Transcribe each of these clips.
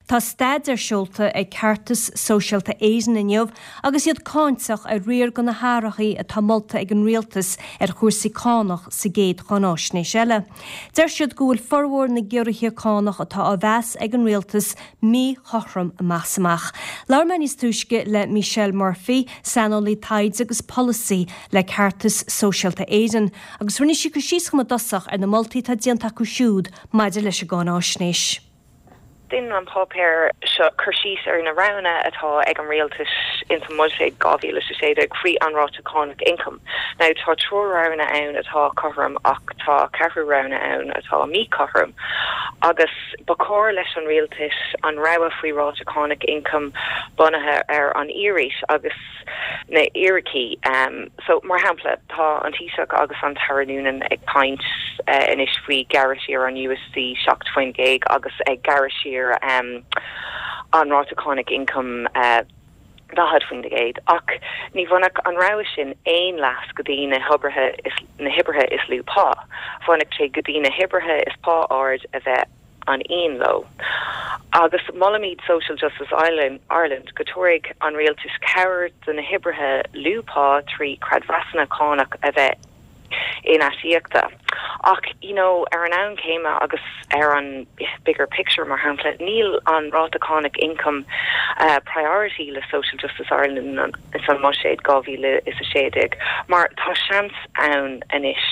Tá staidéar seolta ag Ceartas Sóisialta Éireann inniu agus iad cáinteach ar riar de na hathruithe atá molta ag an rialtas ar chúrsaí cánach sa gcéad cháináisnéis eile. Deir siad go bhfuil formhór na gciorruithe cánach atá á mheas ag an rialtas míchothrom amach is amach. Labhair mé níos túisce le Michelle Murphy, saineolaí taighde agus polasaí le Ceartas Sóisialta Éireann, agus rinne sí cur síos dhom i dtosach ar na moltaí atá déanta acu siúd maidir leis an gcáináisnéis. Déanann an páipéar seo cur síos ar na roghanna atá ag an rialtas ins an mBuiséad 2016 faoi an ráta cánach ioncaim. Now tá triúr roghanna ann atá cothrom ach tá ceathrú roghanna ann atá míchothrom agus ba chóir leis an rialtas an rogha faoi ráta cánach ioncaim bunaithe ar an fhíorais agus na fhíricí. So, mar shampla, tá an Taoiseach agus an tAire Noonan ag caint anois faoi gearradh siar an USC 7% agus ag gearradh siar an ráta cánach ioncaim 40%. Ach ní bhainfeadh an rogha sin aon leas go dtí na hoibrithe is na hoibrithe is lú pá. Bhainfeadh sé go dtí na hoibrithe is pá ard a bheith an-íon leo. Agus molaimid Social Justice Ireland go tabharfaidh an rialtas cabhair do na hoibrithe lú pá trí creidmheasanna cánach a bheith in-aisíoctha. Ach you know ar an am céanna agus ar an bigger picture mar shampla níl an ráta cánach ioncaim priority le Social Justice Ireland ins an mBuiséad 2016 mar tá seans ann anois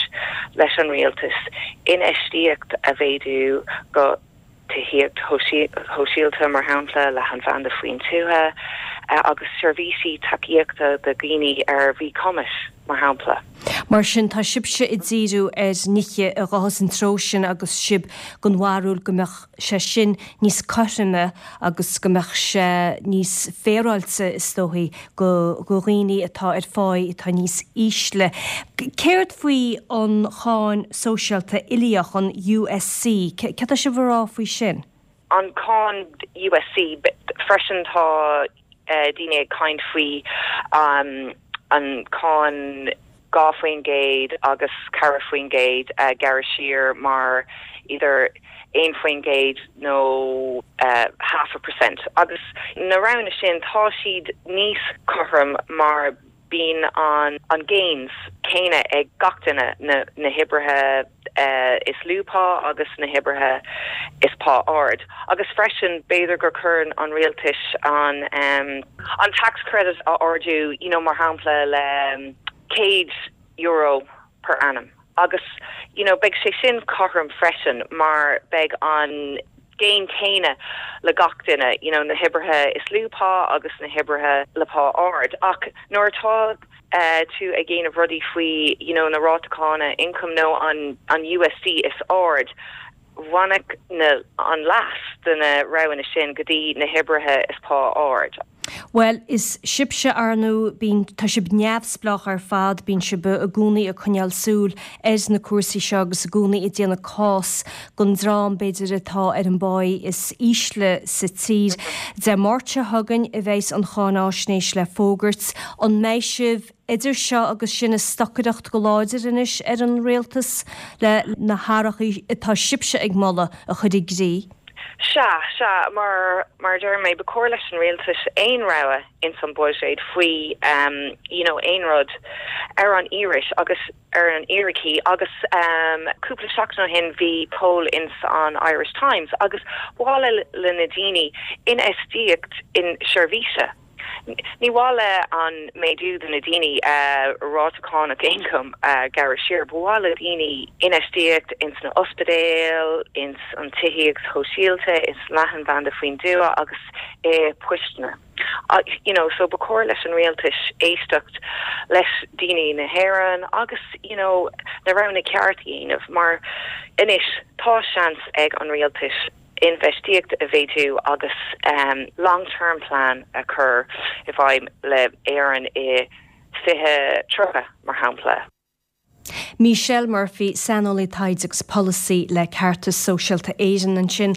leis an rialtas infheistíocht a mhéadú go tithíocht shóisialta, mar shampla, leathanbhanda faoin tuath agus seirbhísí tacaíochta do dhaoine ar mhíchumais, mar shampla. Mar sin, tá sibhse ag díriú ar nithe a ghabhfas an treo sin agus sibh den bharúil go mbeadh sé sin níos cothroime agus go mbeadh sé níos féaráilte, is dóichí, do dhaoine atá ar pháí atá níos ísle. Céard faoi an cháin sóisialta uilíoch, an USC? Céard tá sibh a rá faoi sin? An cáin USC, freisin tá daoine ag caint faoi an cáin 2% agus 4% a ghearradh siar mar either 1% nó half a percent. Agus na roghanna sin tá siad níos cothrom mar bíonn an an gains céanna ag gach duine, na na hoibrithe is lú pá agus na hoibrithe is pá ard. Agus freisin b'fhéidir gur cuireann an rialtais an an tax credit a ardú, you know mar shampla le €100 per annum. Agus you know beidh sé sin cothrom freisin mar beidh an gain céanna le gach duine, you know na hoibrithe is lú pá agus na hoibrithe le pá ard. Ach nuair atá tú ag déanamh rudaí faoi you know na ráta cána income nó an an USC is ard, bhainfeadh na an leas de na roghanna sin go dtí na hoibrithe is pá ard. Bhuel, is sibhse, ar ndóigh, bíonn, tá sibh neamhspleách ar fad, bíonn sibh i gcónaí ag coinneáil súil ar na cúrsaí seo agus i gcónaí ag déanamh cás don dream, b'fhéidir, atá ar an bpáí is ísle sa tír. Dé Máirt seo chugainn a bheas an cháináisnéis le fógairt. An mbeidh sibh idir seo agus sin ag stocaireacht go láidir anois ar an rialtas le na hathruithe atá sibhse ag moladh a chur i gcrích? Sea, sea, mar, mar a deir mé, ba chóir leis an rialtas aon rogha ins an buiséad faoi you know aon rud ar an fhíorais agus ar an fhíricí agus cúpla seachtain ó shin bhí poll ins an Irish Times agus ba mhaith le na daoine infheistíocht in seirbhíse. Ní mhaith le an méadú do na daoine ráta cánach ioncaim a ghearradh siar. Ba mhaith le daoine infheistíocht ins na ospidéil, ins an tithíocht shóisialta, ins leathanbhanda faoin dtuath agus i poisteanna. You know, so ba chóir leis an rialtais éisteacht leis daoine na hÉireann agus you know na roghanna ceart a dhéanamh mar anois tá seans ag an rialtais infheistíocht a mhéadú agus long term plan a chur i bhfeidhm le Éirinn i 2030 mar shampla. Michelle Murphy, Saineolaí Taighde agus Polasaí le Ceartas Sóisialta Éireann ansin.